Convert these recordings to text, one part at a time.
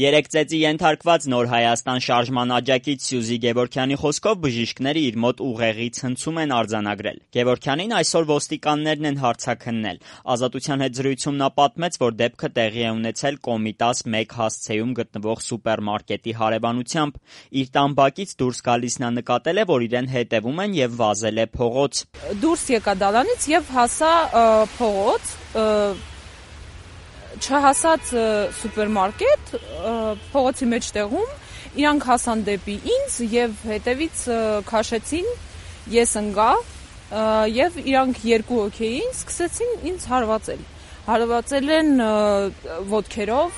Երեք ծեծի ենթարկված Նոր Հայաստան շարժման աջակից Սյուզի Գևորգյանի խոսքով բժիշկները իր մոտ ուղեղի ցնցում են արձանագրել։ Գևորգյանին այսօր ոստիկաններն են հարցաքննել։ Ազատության հետ զրույցում նա պատմեց, որ դեպքը տեղի է ունեցել Կոմիտաս 1 հասցեում գտնվող սուպերմարկետի հարևանությամբ։ Իր տան բակից դուրս գալիս նա նկատել է, որ իրեն հետևում են եւ վազել է փողոց։ Դուրս եկա դալանից եւ հասա փողոց, չհասած սուպերմարկետ, փողոցի մեջտեղում իրանք հասան դեպի ինձ եւ հետևից քաշեցին, ես ընկա եւ իրանք երկու հոգի էին, սկսեցին ինձ հարվածել են ոտքերով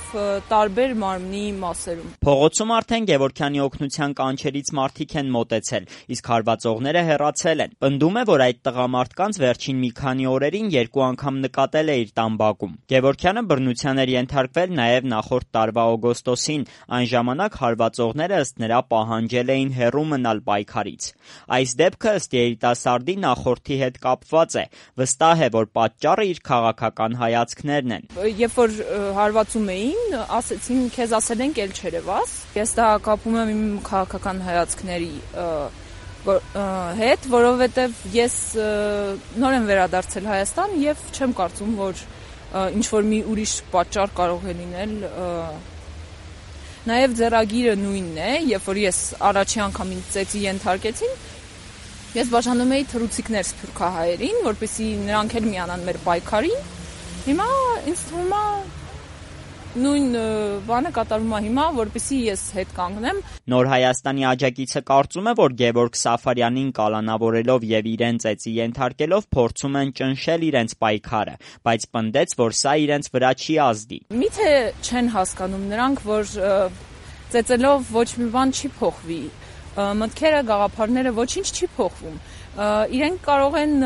տարբեր մարմնի մասերում։ Փողոցում արդեն Գևորգյանի օգնության կանչերից մարդիկ են մոտեցել, իսկ հարվածողները հեռացել են։ Պնդում է, որ այդ տղամարդկանց վերջին մի քանի օրերին 2 անգամ նկատել է իր տան բակում։ Գևորգյանը բռնության էր ենթարկվել նաև նախորդ տարվա օգոստոսին, այն ժամանակ հարվածողները ըստ նրա պահանջել էին հեռու մնալ պայքարից։ Այս դեպքը ըստ երիտասարդի նախորդի հետ կապված է։ Վստահ է, որ պատճառը իր քաղաքական հայացքներն են։ Երբ որ հարվածում էին, ասեցին քեզ ասել են կել չերևաս։ Ես դա կապում եմ իմ քաղաքական հայացքների հետ, որովհետև ես նոր եմ վերադարձել Հայաստան եւ չեմ կարծում, որ ինչ որ մի ուրիշ պատճառ կարող է լինել։ Նաեւ ձեռագիրը նույնն է, երբ որ ես առաջի անգամ ինձ ծեծի ենթարկեցին, ես բաժանում էի թռուցիկներ սփյուռքահայերին, որպեսզի նրանք էլ միանան մեր պայքարին։ Հիմա ինձ թվում է նույն բանը կատարվում է հիմա, որպեսզի ես հետ կանգնեմ։ Նոր Հայաստանի աջակիցը կարծում է, որ Գևորգ Սաֆարյանին կալանավորելով եւ իրեն ծեծի ենթարկելով փորձում են ճնշել իրենց պայքարը, բայց պնդեց, որ սա իրենց վրա չի ազդի։ Միթե չեն հասկանում նրանք, որ ծեծելով ոչ մի բան չի փոխվի։ Մտքերը, գաղափարները ոչինչ չի փոխվում։ Իրենք կարող են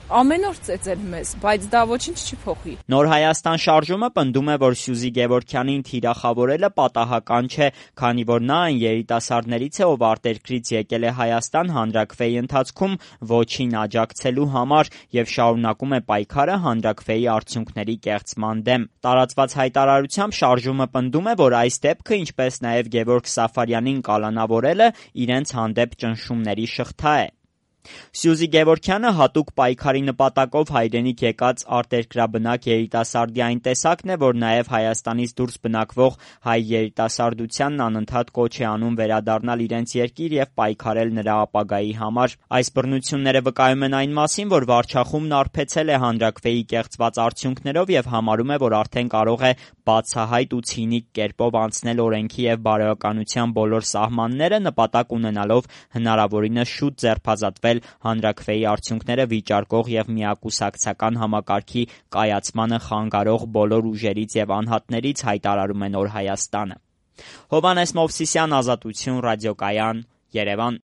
ամեն օր ծեծել մեզ, բայց դա ոչինչ չի փոխի։ Նոր Հայաստան շարժումը պնդում է, որ Սյուզի Գևորգյանին թիրախավորելը պատահական չէ, քանի որ նա այն երիտասարդներից է, ով արտերկրից եկել է Հայաստան հանրաքվեի ընթացքում ոչին աջակցելու համար եւ շարունակում է պայքարը հանրաքվեի արդյունքների կեղծման դեմ։ Տարածված հայտարարությամբ շարժումը պնդում է, որ այս դեպքը, ինչպես նաեւ Գևորգ Սաֆարյանին կալանավորելը, իրենց հանդեպ ճնշումների շղթա է։ Սյուզի Գևորգյանը հատուկ պայքարի նպատակով հայրենիք եկած արտերկրաբնակ երիտասարդի այն տեսակն է, որ նաև Հայաստանից դուրս բնակվող հայ երիտասարդությանն անընդհատ կոչ է անում վերադառնալ իրենց երկիր եւ պայքարել նրա ապագայի համար։ Այս բռնությունները վկայում են այն մասին, որ վարչախումբն արբեցել է հանրաքվեի կեղծված արդյունքներով եւ համարում է, որ արդեն կարող է բացահայտ ու ցինիկ կերպով անցնել օրենքի եւ բարոյականության բոլոր սահմանները, նպատակ ունենալով հնարավորինս շուտ ձերբազատվել հանրաքվեի արդյունքները վիճարկող եւ միակուսակցական համակարգի կայացմանը խանգարող բոլոր ուժերից եւ անհատներից, հայտարարում է Նոր Հայաստանը։ Հովհաննես Մովսիսյան, Ազատություն, ռադիոկայան, Երևան։